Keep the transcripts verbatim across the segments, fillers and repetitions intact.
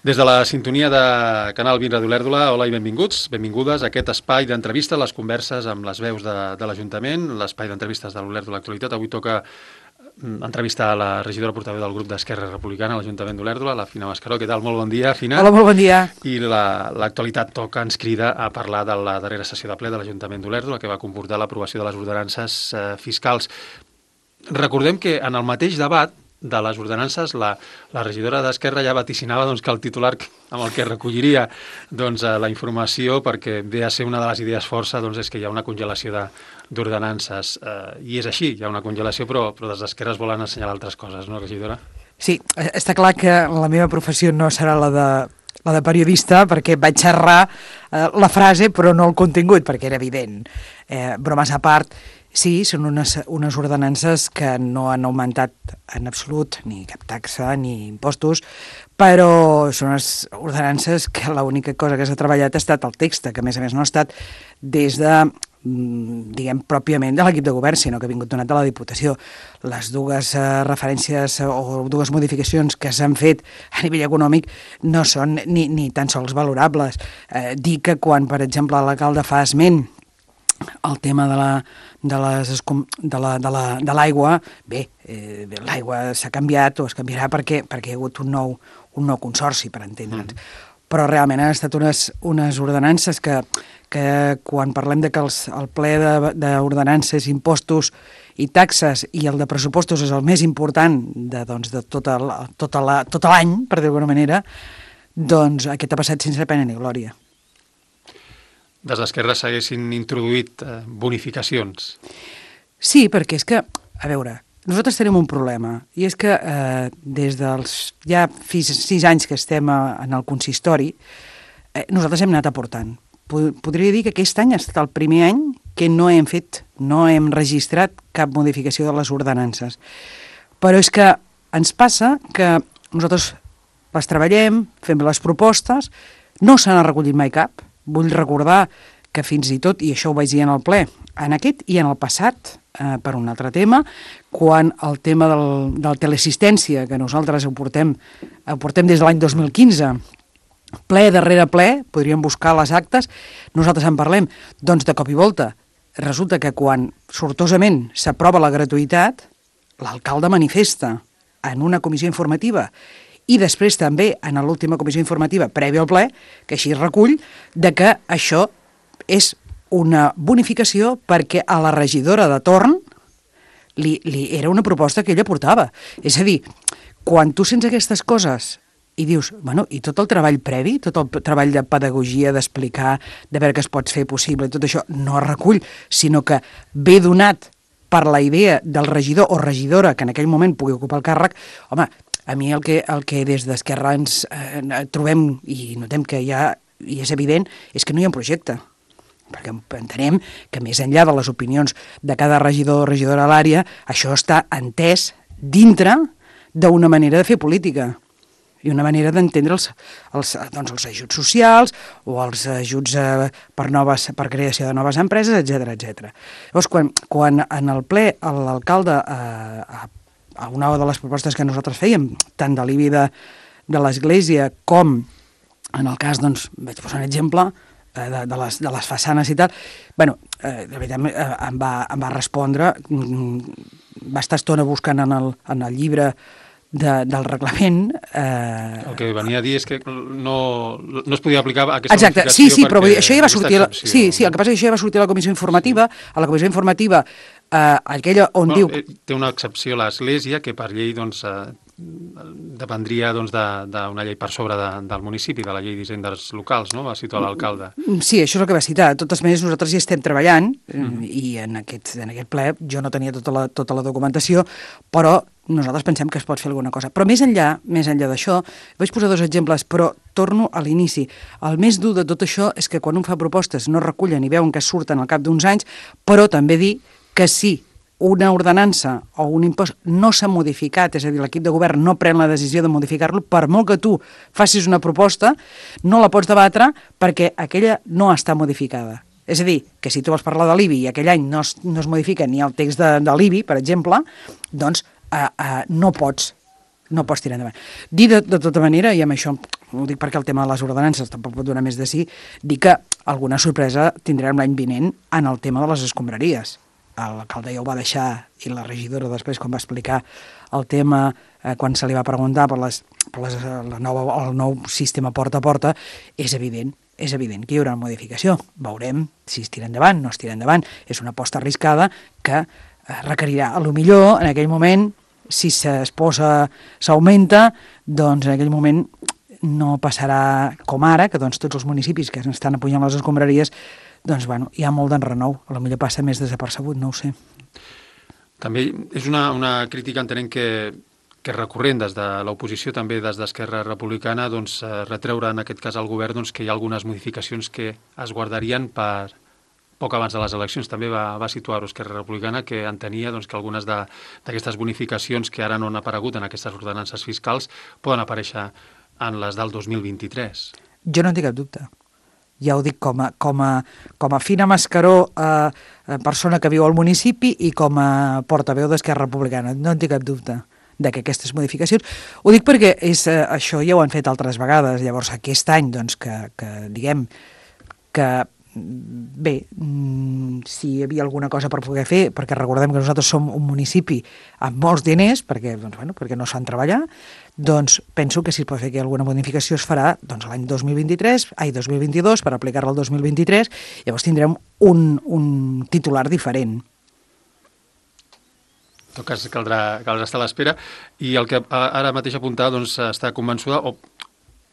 Des de la sintonia de Canal vint Ràdio Olèrdola, hola i benvinguts, benvingudes a aquest espai d'entrevistes, les converses amb les veus de, de l'Ajuntament, l'espai d'entrevistes de l'Olèrdola Actualitat. Avui toca entrevistar a la regidora portaveu del grup d'Esquerra Republicana a l'Ajuntament d'Olèrdola, la Fina Mascaró. Què tal? Molt bon dia, Fina. Hola, molt bon dia. I l'actualitat la, toca, ens crida a parlar de la darrera sessió de ple de l'Ajuntament d'Olèrdola, que va comportar l'aprovació de les ordenances eh, fiscals. Recordem que en el mateix debat de les ordenances, la, la regidora d'Esquerra ja vaticinava doncs, que el titular amb el que recolliria doncs, la informació, perquè ve a ser una de les idees força, doncs, és que hi ha una congelació d'ordenances. Eh, I és així, hi ha una congelació, però, però des d'Esquerra es volen assenyalar altres coses, no, regidora? Sí, està clar que la meva professió no serà la de, la de periodista, perquè vaig xerrar eh, la frase, però no el contingut, perquè era evident. Eh, bromes a part, sí, són unes, unes ordenances que no han augmentat en absolut ni cap taxa ni impostos, però són unes ordenances que l'única cosa que s'ha treballat ha estat el text, que a més a més no ha estat des de, diguem, pròpiament de l'equip de govern, sinó que ha vingut donat de la Diputació. Les dues eh, referències o dues modificacions que s'han fet a nivell econòmic no són ni, ni tan sols valorables. Eh, dir que quan, per exemple, l'alcalde fa esment el tema de la de les de la de la de l'aigua, bé, eh, l'aigua s'ha canviat o es canviarà perquè perquè hi ha hagut un nou un nou consorci, per entendre'ns. Mm. Però realment han estat unes unes ordenances que que quan parlem de que els, el ple d'ordenances, impostos i taxes i el de pressupostos és el més important de, doncs, de tota la, tota la, tot l'any, per dir d'alguna manera, doncs aquest ha passat sense pena ni glòria. Des d'Esquerra s'haguessin introduït eh, bonificacions. Sí, perquè és que, a veure, nosaltres tenim un problema, i és que eh, des dels ja fins sis anys que estem a, en el consistori, eh, nosaltres hem anat aportant. Podria dir que aquest any ha estat el primer any que no hem fet, no hem registrat cap modificació de les ordenances. Però és que ens passa que nosaltres les treballem, fem les propostes, no se n'ha recollit mai cap. Vull recordar que fins i tot, i això ho vaig dir en el ple, en aquest i en el passat, eh, per un altre tema, quan el tema del, del teleassistència, que nosaltres ho portem, ho portem des de l'any dos mil quinze, ple darrere ple, podríem buscar les actes, nosaltres en parlem, doncs de cop i volta, resulta que quan sortosament s'aprova la gratuïtat, l'alcalde manifesta en una comissió informativa i després també en l'última comissió informativa prèvia al ple, que així es recull, de que això és una bonificació perquè a la regidora de torn li, li era una proposta que ella portava. És a dir, quan tu sents aquestes coses i dius, bueno, i tot el treball previ, tot el treball de pedagogia, d'explicar, de veure què es pot fer possible, tot això no es recull, sinó que ve donat per la idea del regidor o regidora que en aquell moment pugui ocupar el càrrec, home, a mi el que, el que des d'Esquerra ens eh, trobem i notem que ja i és evident és que no hi ha un projecte, perquè entenem que més enllà de les opinions de cada regidor o regidora a l'àrea, això està entès dintre d'una manera de fer política i una manera d'entendre els, els, doncs els ajuts socials o els ajuts eh, per, noves, per creació de noves empreses, etcètera, etcètera. Llavors, quan, quan en el ple l'alcalde eh, a una de les propostes que nosaltres fèiem, tant de l'I B I de, de l'Església com, en el cas, doncs, vaig posar un exemple, eh, de, de, les, de les façanes i tal, bueno, eh, de veritat eh, em, va, em va respondre, va estar estona buscant en el, en el llibre de, del reglament. Eh... El que venia a dir és que no, no es podia aplicar aquesta Exacte, sí, sí, però això ja va sortir, la, sí, sí, el que passa és que això ja va sortir a la comissió informativa, a la comissió informativa Uh, aquella on bueno, diu... Eh, té una excepció l'Església, que per llei doncs, eh, dependria doncs, d'una de, llei per sobre de, del municipi, de la llei d'hisendes locals, no? Va situar l'alcalde. Sí, això és el que va citar. De totes maneres, nosaltres hi estem treballant, mm. i en aquest, en aquest ple jo no tenia tota la, tota la documentació, però nosaltres pensem que es pot fer alguna cosa. Però més enllà, més enllà d'això, vaig posar dos exemples, però torno a l'inici. El més dur de tot això és que quan un fa propostes no recullen i veuen que surten al cap d'uns anys, però també dir que si una ordenança o un impost no s'ha modificat, és a dir, l'equip de govern no pren la decisió de modificar-lo, per molt que tu facis una proposta, no la pots debatre perquè aquella no està modificada. És a dir, que si tu vols parlar de l'I B I i aquell any no es, no es modifica ni el text de, de l'I B I, per exemple, doncs eh, eh, no pots no pots tirar endavant. Dir de, de tota manera, i amb això ho dic perquè el tema de les ordenances tampoc pot donar més de sí, dir que alguna sorpresa tindrem l'any vinent en el tema de les escombraries. L'alcalde ja ho va deixar, i la regidora després, quan va explicar el tema, eh, quan se li va preguntar per, les, per les, la nova, el nou sistema porta a porta, és evident, és evident que hi haurà una modificació. Veurem si es tira endavant, no es tira endavant. És una aposta arriscada que eh, requerirà, a lo millor, en aquell moment, si es posa, s'augmenta, doncs en aquell moment no passarà com ara, que doncs, tots els municipis que estan apujant les escombraries, doncs bueno, hi ha molt d'enrenou, a lo millor passa més desapercebut, no ho sé. També és una, una crítica, entenem que, que és recurrent des de l'oposició, també des d'Esquerra Republicana, doncs retreure en aquest cas al govern doncs, que hi ha algunes modificacions que es guardarien per poc abans de les eleccions. També va, va situar-ho Esquerra Republicana, que entenia doncs, que algunes d'aquestes bonificacions que ara no han aparegut en aquestes ordenances fiscals poden aparèixer en les del dos mil vint-i-tres. Jo no en tinc cap dubte. Ja ho dic com a, com a, com a Fina Mascaró, eh, persona que viu al municipi, i com a portaveu d'Esquerra Republicana. No en tinc cap dubte de que aquestes modificacions... Ho dic perquè és, eh, això ja ho han fet altres vegades. Llavors, aquest any, doncs, que, que diguem que bé, si hi havia alguna cosa per poder fer, perquè recordem que nosaltres som un municipi amb molts diners, perquè, doncs, bueno, perquè no s'han treballat, doncs penso que si es pot fer que alguna modificació es farà doncs, l'any dos mil vint-i-tres, ai, dos mil vint-i-dos, per aplicar-la al dos mil vint-i-tres, llavors tindrem un, un titular diferent. En tot cas, caldrà, caldrà estar a l'espera. I el que ara mateix apuntar, doncs, està convençuda o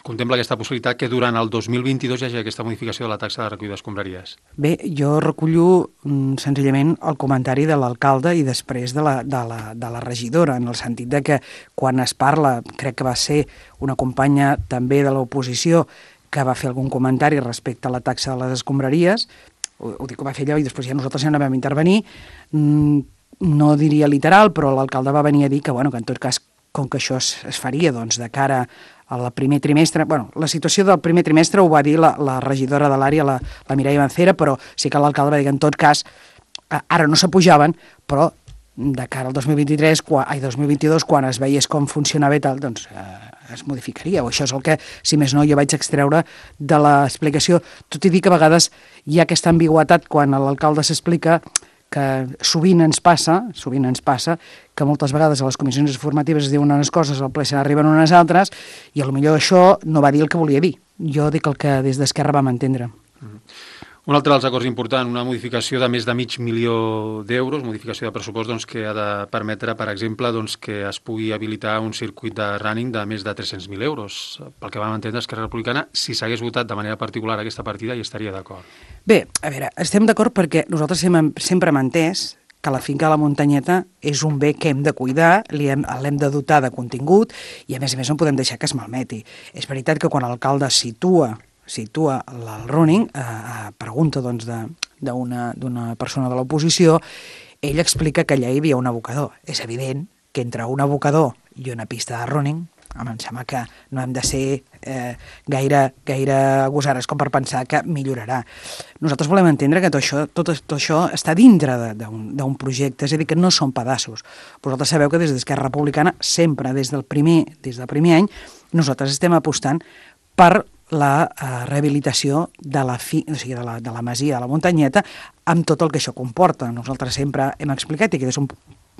contempla aquesta possibilitat que durant el dos mil vint-i-dos hi hagi aquesta modificació de la taxa de recollida d'escombraries. Bé, jo recullo mm, senzillament el comentari de l'alcalde i després de la, de, la, de la regidora, en el sentit de que quan es parla, crec que va ser una companya també de l'oposició que va fer algun comentari respecte a la taxa de les escombraries, ho, ho dic que va fer allò i després ja nosaltres ja no vam intervenir, mm, no diria literal, però l'alcalde va venir a dir que, bueno, que en tot cas, com que això es, es faria doncs, de cara al primer trimestre, bueno, la situació del primer trimestre ho va dir la, la regidora de l'àrea, la, la Mireia Mancera, però sí que l'alcalde va dir que en tot cas, ara no s'apujaven, però de cara al dos mil vint-i-tres, quan, ai, dos mil vint-i-dos, quan es veiés com funcionava i tal, doncs eh, es modificaria. O això és el que, si més no, jo vaig extreure de l'explicació. Tot i dir que a vegades hi ha aquesta ambigüitat quan l'alcalde s'explica, que sovint ens passa, sovint ens passa, que moltes vegades a les comissions informatives es diuen unes coses, al ple se n'arriben unes altres, i potser això no va dir el que volia dir. Jo dic el que des d'Esquerra vam entendre. Mm-hmm. Un altre dels acords important, una modificació de més de mig milió d'euros, modificació de pressupost doncs, que ha de permetre, per exemple, doncs, que es pugui habilitar un circuit de running de més de tres-cents mil euros. Pel que vam entendre, Esquerra Republicana, si s'hagués votat de manera particular aquesta partida, hi estaria d'acord. Bé, a veure, estem d'acord perquè nosaltres sempre, sempre hem entès que la finca de la muntanyeta és un bé que hem de cuidar, l'hem de dotar de contingut i, a més a més, no podem deixar que es malmeti. És veritat que quan l'alcalde situa situa el running, eh, a pregunta doncs, d'una d'una persona de l'oposició, ell explica que allà hi havia un abocador. És evident que entre un abocador i una pista de running, home, em sembla que no hem de ser eh, gaire, gaire gosares com per pensar que millorarà. Nosaltres volem entendre que tot això, tot, tot això està dintre d'un projecte, és a dir, que no són pedaços. Vosaltres sabeu que des d'Esquerra Republicana, sempre des del primer, des del primer any, nosaltres estem apostant per la uh, rehabilitació de la, fi, o sigui, de, la, de la masia de la muntanyeta amb tot el que això comporta. Nosaltres sempre hem explicat que és un,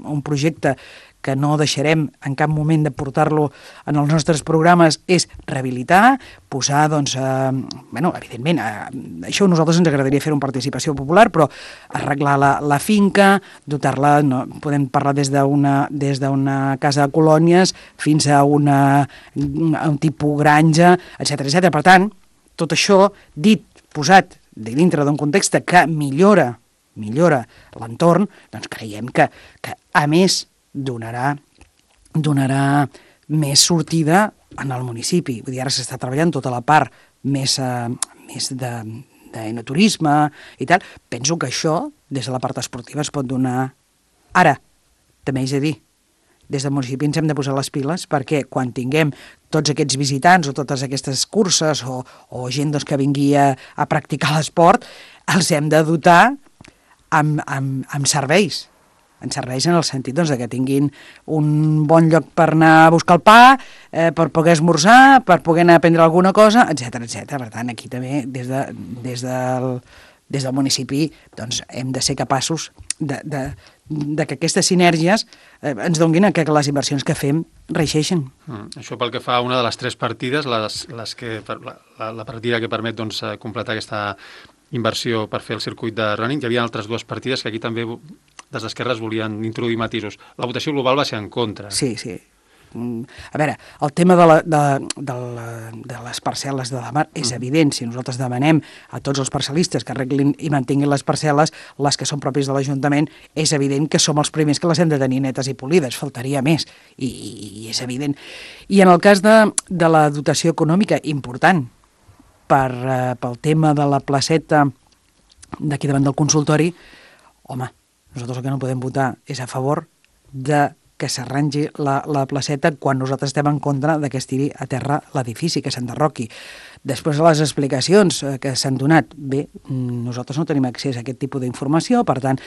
un projecte que no deixarem en cap moment de portar-lo en els nostres programes, és rehabilitar, posar, doncs, eh, bueno, evidentment, eh, això a nosaltres ens agradaria fer-ho en participació popular, però arreglar la, la finca, dotar-la, no, podem parlar des d'una des d'una casa de colònies fins a, una, a un tipus granja, etcètera, etcètera. Per tant, tot això dit, posat dintre d'un context que millora, millora l'entorn, doncs creiem que, que a més, donarà, donarà més sortida en el municipi. Vull dir, ara s'està treballant tota la part més, eh, més de, d'enoturisme i tal. Penso que això, des de la part esportiva, es pot donar ara. També és a dir, des del municipi ens hem de posar les piles perquè quan tinguem tots aquests visitants o totes aquestes curses o, o gent doncs, que vingui a, a practicar l'esport, els hem de dotar amb, amb, amb serveis. ens serveix en el sentit doncs, de que tinguin un bon lloc per anar a buscar el pa, eh, per poder esmorzar, per poder anar a prendre alguna cosa, etcètera, etcètera. Per tant, aquí també, des, de, des, del, des del municipi, doncs, hem de ser capaços de, de, de que aquestes sinergies eh, ens donguin a que les inversions que fem reixeixen. Mm, això pel que fa a una de les tres partides, les, les que, la, la, la partida que permet doncs, completar aquesta inversió per fer el circuit de running. Hi havia altres dues partides que aquí també des d'Esquerra es volien introduir matisos. La votació global va ser en contra. Sí, sí. A veure, el tema de, la, de, de, la, de les parcel·les de la mar és evident. Si nosaltres demanem a tots els parcel·listes que arreglin i mantinguin les parcel·les, les que són pròpies de l'Ajuntament, és evident que som els primers que les hem de tenir netes i polides, faltaria més, i, i és evident. I en el cas de, de la dotació econòmica, important, per, eh, pel tema de la placeta d'aquí davant del consultori, home, nosaltres el que no podem votar és a favor de que s'arrangi la, la placeta quan nosaltres estem en contra de que es tiri a terra l'edifici, que s'enderroqui. Després de les explicacions que s'han donat, bé, nosaltres no tenim accés a aquest tipus d'informació, per tant,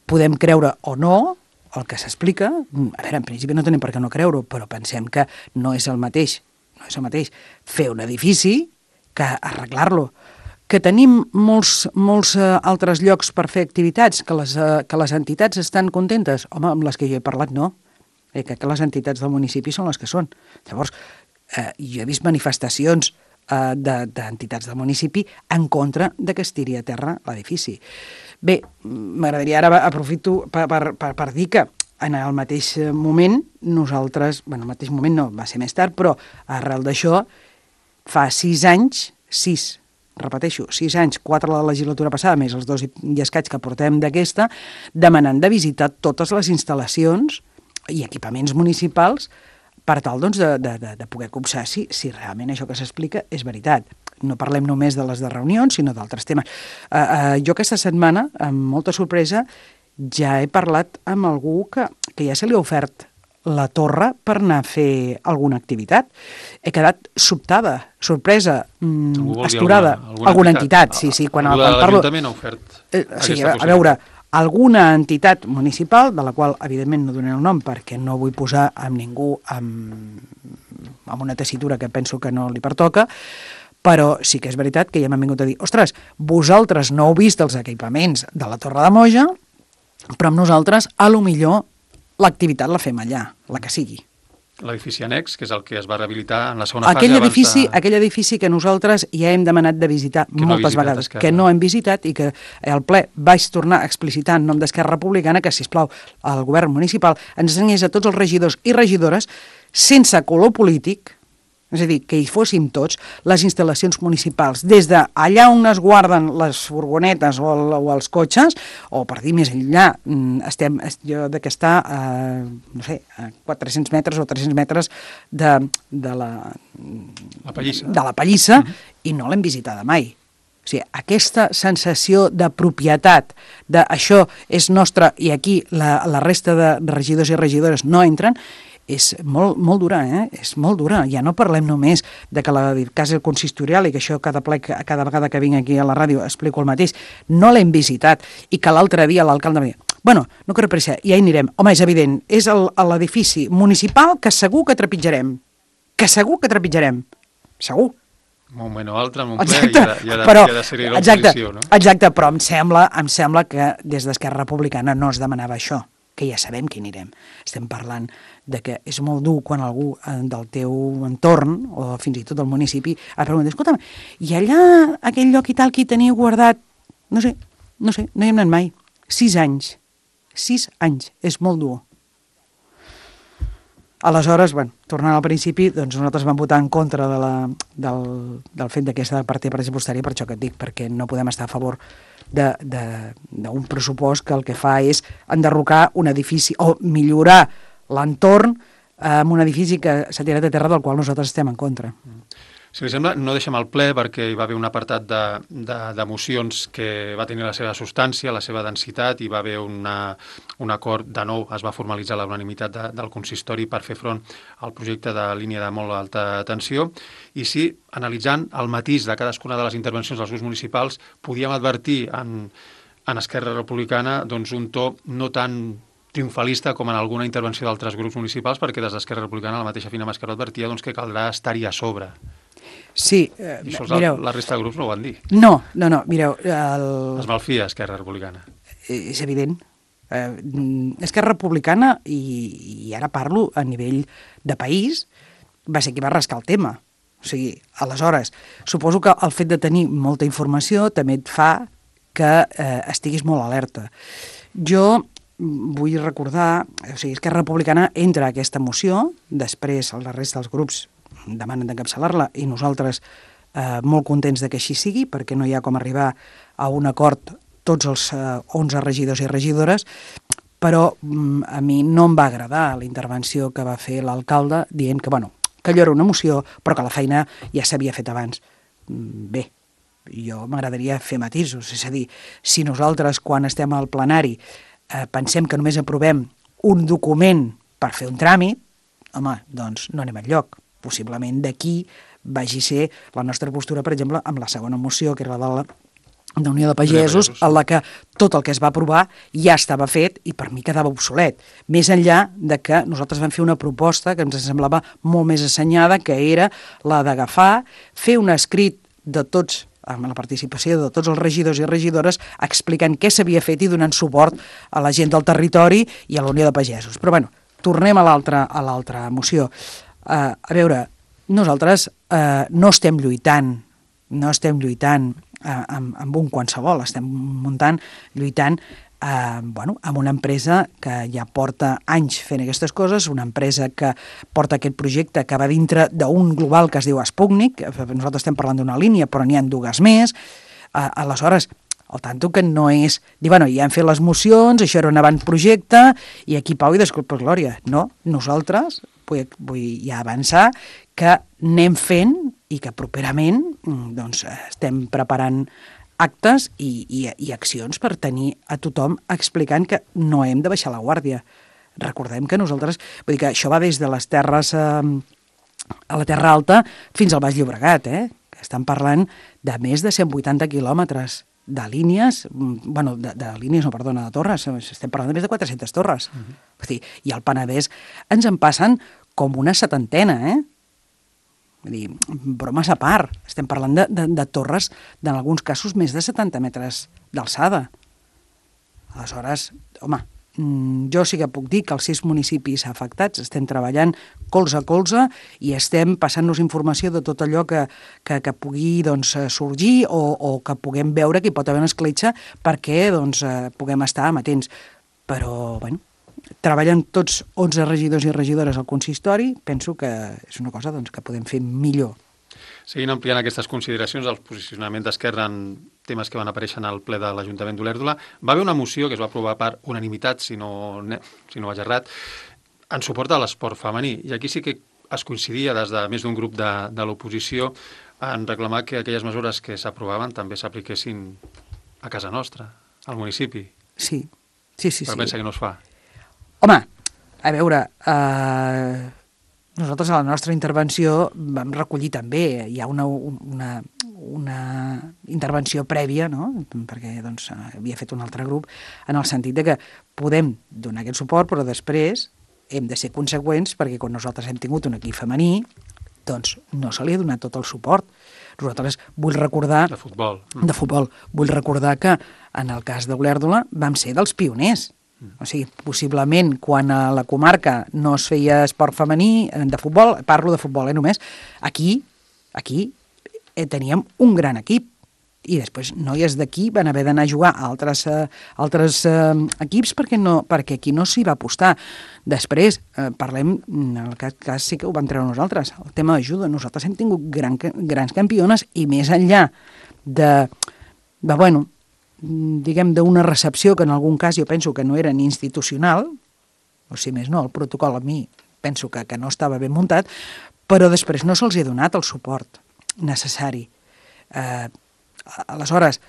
podem creure o no el que s'explica. A veure, en principi no tenim per què no creure-ho, però pensem que no és el mateix, no és el mateix fer un edifici que arreglar-lo. Que tenim molts, molts uh, altres llocs per fer activitats, que les, uh, que les entitats estan contentes. Home, amb les que jo he parlat, no. Eh, que, que les entitats del municipi són les que són. Llavors, eh, jo he vist manifestacions eh, d'entitats del municipi en contra de que es tiri a terra l'edifici. Bé, m'agradaria ara, aprofito per, per, per, per dir que en el mateix moment, nosaltres, bueno, el mateix moment no, va ser més tard, però arrel d'això, fa sis anys, sis, repeteixo, sis anys, quatre la legislatura passada, més els dos i escaig que portem d'aquesta, demanant de visitar totes les instal·lacions i equipaments municipals per tal doncs, de, de, de poder copsar si, si realment això que s'explica és veritat. No parlem només de les de reunions, sinó d'altres temes. Uh, uh, jo aquesta setmana, amb molta sorpresa, ja he parlat amb algú que, que ja se li ha ofert la torre per anar a fer alguna activitat. He quedat sobtada, sorpresa, mmm, esturada. Alguna, alguna, alguna entitat, entitat, sí, sí. Quan, quan parlo... l'Ajuntament ha ofert eh, sí, a, a veure, alguna entitat municipal, de la qual evidentment no donaré el nom perquè no vull posar amb ningú amb, amb una tessitura que penso que no li pertoca, però sí que és veritat que ja m'han vingut a dir ostres, vosaltres no heu vist els equipaments de la Torre de Moja, però amb nosaltres, a lo millor, l'activitat la fem allà, la que sigui. L'edifici annex, que és el que es va rehabilitar en la segona aquell fase. Edifici, de... Aquell edifici que nosaltres ja hem demanat de visitar que moltes no vegades, Esquerra. Que no hem visitat i que al ple vaig tornar a explicitar en nom d'Esquerra Republicana que, sisplau, el govern municipal ens ensenyés a tots els regidors i regidores, sense color polític, és a dir, que hi fóssim tots, les instal·lacions municipals, des de allà on es guarden les furgonetes o, el, o els cotxes, o per dir més enllà, estem, jo de que està a, no sé, a quatre-cents metres o tres-cents metres de, de la, la Pallissa, de la Pallissa uh-huh. I no l'hem visitada mai. O sigui, aquesta sensació de propietat, de això és nostre i aquí la, la resta de regidors i regidores no entren, és molt, molt dura, eh? És molt dura. Ja no parlem només de que la casa consistorial, i que això cada ple, cada vegada que vinc aquí a la ràdio explico el mateix, no l'hem visitat, i que l'altre dia l'alcalde va dir, bueno, no cal pressa, ja hi anirem. Home, és evident, és l'edifici municipal que segur que trepitjarem. Que segur que trepitjarem. Segur. Un moment o altre, en un ple, i ha de, i ha de, però, i ha de ser l'oposició, no? Exacte, però em sembla, em sembla que des d'Esquerra Republicana no es demanava això, que ja sabem que anirem. Estem parlant de que és molt dur quan algú del teu entorn, o fins i tot del municipi, et pregunta, escolta'm, i allà, aquell lloc i tal que hi teniu guardat, no sé, no sé, no hi hem anat mai. Sis anys. Sis anys. És molt dur. Aleshores, bueno, tornant al principi, doncs nosaltres vam votar en contra de la, del, del fet d'aquesta partida pressupostària, per això que et dic, perquè no podem estar a favor d'un pressupost que el que fa és enderrocar un edifici o millorar l'entorn amb un edifici que s'ha tirat a terra del qual nosaltres estem en contra. Si li sembla, no deixem el ple perquè hi va haver un apartat de, de, de mocions que va tenir la seva substància, la seva densitat, i va haver una, un acord, de nou es va formalitzar la unanimitat de, del consistori per fer front al projecte de línia de molt alta tensió, i sí, analitzant el matís de cadascuna de les intervencions dels grups municipals, podíem advertir en, en Esquerra Republicana doncs, un to no tan triomfalista com en alguna intervenció d'altres grups municipals, perquè des d'Esquerra Republicana la mateixa Fina Mascaró advertia doncs, que caldrà estar-hi a sobre. Sí, eh, I això mireu... la resta de grups no ho van dir. No, no, no, mireu... El... Es malfia Esquerra Republicana. És evident. Eh, Esquerra Republicana, i, i ara parlo a nivell de país, va ser qui va rascar el tema. O sigui, aleshores, suposo que el fet de tenir molta informació també et fa que eh, estiguis molt alerta. Jo vull recordar, o sigui, Esquerra Republicana entra a aquesta moció, després la resta dels grups demanen d'encapçalar-la i nosaltres eh, molt contents de que així sigui, perquè no hi ha com arribar a un acord tots els eh, onze regidors i regidores, però mm, a mi no em va agradar la intervenció que va fer l'alcalde dient que, bueno, que allò era una moció, però que la feina ja s'havia fet abans. Bé, jo m'agradaria fer matisos, és a dir, si nosaltres quan estem al plenari eh, pensem que només aprovem un document per fer un tràmit, home, doncs no anem enlloc. Possiblement d'aquí vagi ser la nostra postura, per exemple, amb la segona moció, que era la de la d'Unió de Pagesos, en la que tot el que es va aprovar ja estava fet i per mi quedava obsolet. Més enllà de que nosaltres vam fer una proposta que ens semblava molt més assenyada, que era la d'agafar, fer un escrit de tots, amb la participació de tots els regidors i regidores, explicant què s'havia fet i donant suport a la gent del territori i a la Unió de Pagesos. Però bueno, tornem a l'altra a l'altra moció. Uh, a veure, nosaltres uh, no estem lluitant, no estem lluitant uh, amb, amb un qualsevol, estem muntant, lluitant eh, bueno, amb una empresa que ja porta anys fent aquestes coses, una empresa que porta aquest projecte que va dintre d'un global que es diu Sputnik, nosaltres estem parlant d'una línia, però n'hi ha dues més, eh, aleshores, el tanto que no és dir, bueno, ja hem fet les mocions, això era un avantprojecte, i aquí pau i desculpa glòria. No, nosaltres, vull, vull ja avançar, que anem fent i que properament doncs, estem preparant actes i, i, i accions per tenir a tothom explicant que no hem de baixar la guàrdia. Recordem que nosaltres, vull dir que això va des de les terres eh, a la Terra Alta fins al Baix Llobregat, eh? Que estan parlant de més de cent vuitanta quilòmetres de línies, bueno, de, de línies, no, perdona, de torres, estem parlant de més de quatre-centes torres. Uh-huh. Vull dir, i al Penedès ens en passen com una setantena, eh? Vull dir, bromes a part, estem parlant de, de, de torres, en alguns casos, més de setanta metres d'alçada. Aleshores, home, jo sí que puc dir que els sis municipis afectats estem treballant colze a colze i estem passant-nos informació de tot allò que, que, que pugui doncs, sorgir o, o que puguem veure que hi pot haver una escletxa perquè doncs, puguem estar amatents. Però, bueno, treballant tots onze regidors i regidores al consistori, penso que és una cosa doncs, que podem fer millor. Seguint ampliant aquestes consideracions, el posicionament d'Esquerra en temes que van aparèixer al ple de l'Ajuntament d'Olèrdola, va haver una moció que es va aprovar per unanimitat, si no, si no vaig errat, en suport a l'esport femení. I aquí sí que es coincidia des de més d'un grup de, de l'oposició en reclamar que aquelles mesures que s'aprovaven també s'apliquessin a casa nostra, al municipi. Sí, sí, sí. Però sí. pensa que no es fa. Home, a veure, eh, nosaltres a la nostra intervenció vam recollir també, hi ha una, una, una intervenció prèvia, no? Perquè doncs, havia fet un altre grup, en el sentit de que podem donar aquest suport, però després hem de ser conseqüents perquè quan nosaltres hem tingut un equip femení, doncs no se li ha donat tot el suport. Nosaltres vull recordar... De futbol. De futbol. Vull recordar que en el cas d'Olèrdola vam ser dels pioners. O sigui, possiblement quan a la comarca no es feia esport femení de futbol, parlo de futbol, eh, només, aquí, aquí eh, teníem un gran equip i després noies d'aquí van haver d'anar a jugar a altres, eh, altres eh, equips perquè, no, perquè aquí no s'hi va apostar. Després, eh, parlem, en el cas, cas sí que ho vam treure nosaltres, el tema d'ajuda. Nosaltres hem tingut gran, grans campiones i més enllà de, de bueno, diguem, d'una recepció que en algun cas jo penso que no era ni institucional, o si més no, el protocol a mi penso que, que no estava ben muntat, però després no se'ls ha donat el suport necessari. Eh, aleshores,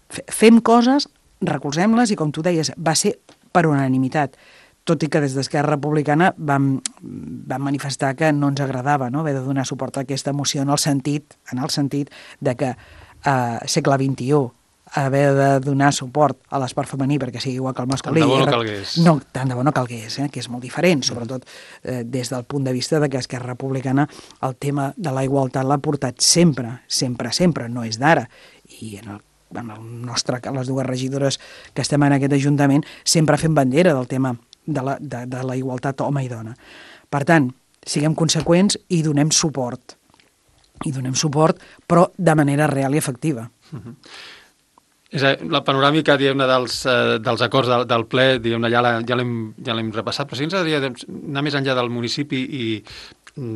fem coses, recolzem-les i, com tu deies, va ser per unanimitat, tot i que des d'Esquerra Republicana vam, vam manifestar que no ens agradava, no?, haver de donar suport a aquesta moció en el sentit, en el sentit de que eh, segle vint-i-u, haver de donar suport a l'esport femení perquè sigui igual que el masculí. Tant de bo no calgués. No, tant de bo no calgués, eh, que és molt diferent, sobretot eh, des del punt de vista de que Esquerra Republicana el tema de la igualtat l'ha portat sempre, sempre, sempre, no és d'ara. I en el en el nostre, les dues regidores que estem en aquest Ajuntament, sempre fem bandera del tema de la, de, de la igualtat home i dona. Per tant, siguem conseqüents i donem suport. I donem suport, però de manera real i efectiva. Uh-huh. És a dir, la panoràmica, diguem-ne, dels, eh, dels acords del, del ple, diguem-ne, ja l'hem ja ja l'hem repassat, però si ens agradaria anar més enllà del municipi i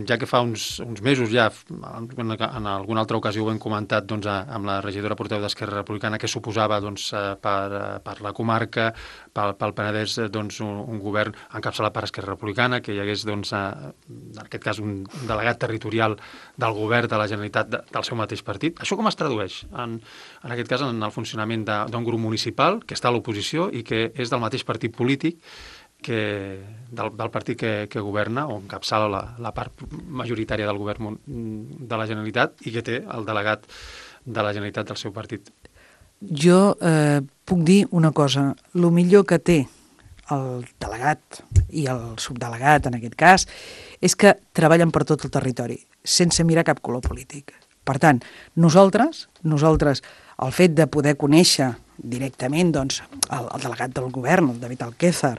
ja que fa uns, uns mesos ja, en, en alguna altra ocasió ho hem comentat doncs, amb la regidora portaveu d'Esquerra Republicana, que suposava doncs, per, per la comarca, pel, pel Penedès, doncs, un, un govern encapçalat per Esquerra Republicana, que hi hagués, doncs, en aquest cas, un delegat territorial del govern de la Generalitat de, del seu mateix partit. Això com es tradueix, en, en aquest cas, en el funcionament d'un grup municipal que està a l'oposició i que és del mateix partit polític, que, del, del partit que, que governa o encapçala la, la part majoritària del govern de la Generalitat i que té el delegat de la Generalitat del seu partit. Jo eh, puc dir una cosa. El millor que té el delegat i el subdelegat, en aquest cas, és que treballen per tot el territori, sense mirar cap color polític. Per tant, nosaltres, nosaltres el fet de poder conèixer directament doncs, el, el delegat del govern, el David Alquézar,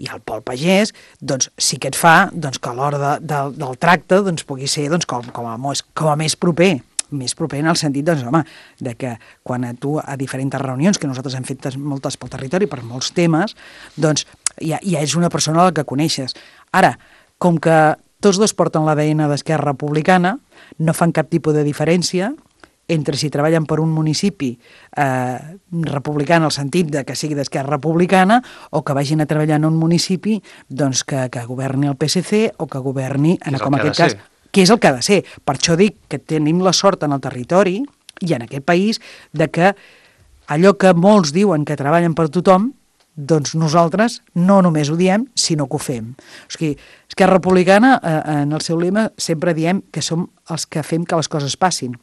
i el Pol Pagès, doncs sí que et fa doncs, que a l'hora de, de, del tracte doncs, pugui ser doncs, com, com, a, com a més proper, més proper en el sentit doncs, home, de que quan a tu a diferents reunions, que nosaltres hem fet moltes pel territori, per molts temes, doncs ja, ja és una persona a la que coneixes. Ara, com que tots dos porten l'A D N d'Esquerra Republicana, no fan cap tipus de diferència entre si treballen per un municipi eh, republicà en el sentit de que sigui d'Esquerra Republicana o que vagin a treballar en un municipi doncs, que, que governi el P S C o que governi, en, com en aquest cas, que és el que ha de ser. Per això dic que tenim la sort en el territori i en aquest país de que allò que molts diuen que treballen per tothom, doncs nosaltres no només ho diem, sinó que ho fem. O sigui, Esquerra Republicana, eh, en el seu lema, sempre diem que som els que fem que les coses passin.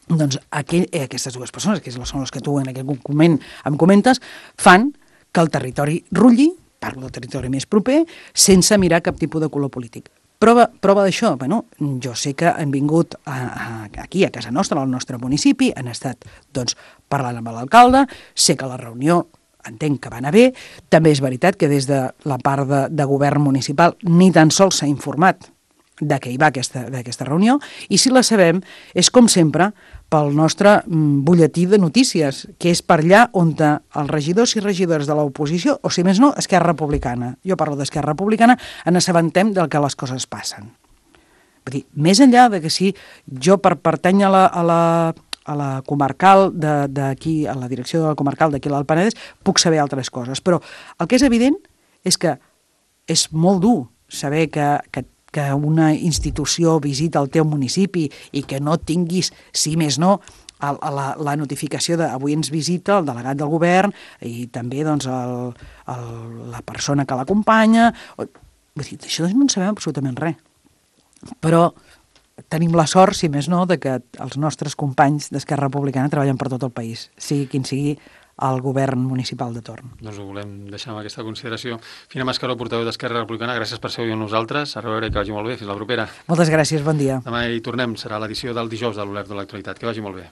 Doncs aquell, eh, aquestes dues persones, que són les que tu en aquest moment em comentes, fan que el territori rulli, parlo del territori més proper, sense mirar cap tipus de color polític. Prova, prova d'això, bueno, jo sé que han vingut a, a, aquí, a casa nostra, al nostre municipi, han estat doncs, parlant amb l'alcalde, sé que la reunió entenc que va anar bé, també és veritat que des de la part de, de govern municipal ni tan sols s'ha informat de què hi va aquesta, d'aquesta reunió, i si la sabem és com sempre pel nostre mm, butlletí de notícies, que és per allà on els regidors i regidores de l'oposició, o si més no, Esquerra Republicana, jo parlo d'Esquerra Republicana, en assabentem del que les coses passen. Vull dir, més enllà de que si jo per pertany a la, a la, a la comarcal d'aquí, a la direcció de la comarcal d'aquí a l'Alt Penedès, puc saber altres coses, però el que és evident és que és molt dur saber que, que que una institució visita el teu municipi i que no tinguis, si més no, el, la, la notificació de avui ens visita el delegat del govern i també doncs, el, el, la persona que l'acompanya. Vull dir, d'això no en sabem absolutament res. Però tenim la sort, si més no, de que els nostres companys d'Esquerra Republicana treballen per tot el país, sigui quin sigui al govern municipal de torn. Doncs ho volem deixar amb aquesta consideració. Fina Mascaró, portaveu d'Esquerra Republicana, gràcies per ser avui amb nosaltres. A reveure i que vagi molt bé. Fins la propera. Moltes gràcies, bon dia. Demà hi tornem. Serà l'edició del dijous de l'Olert de l'Actualitat. Que vagi molt bé.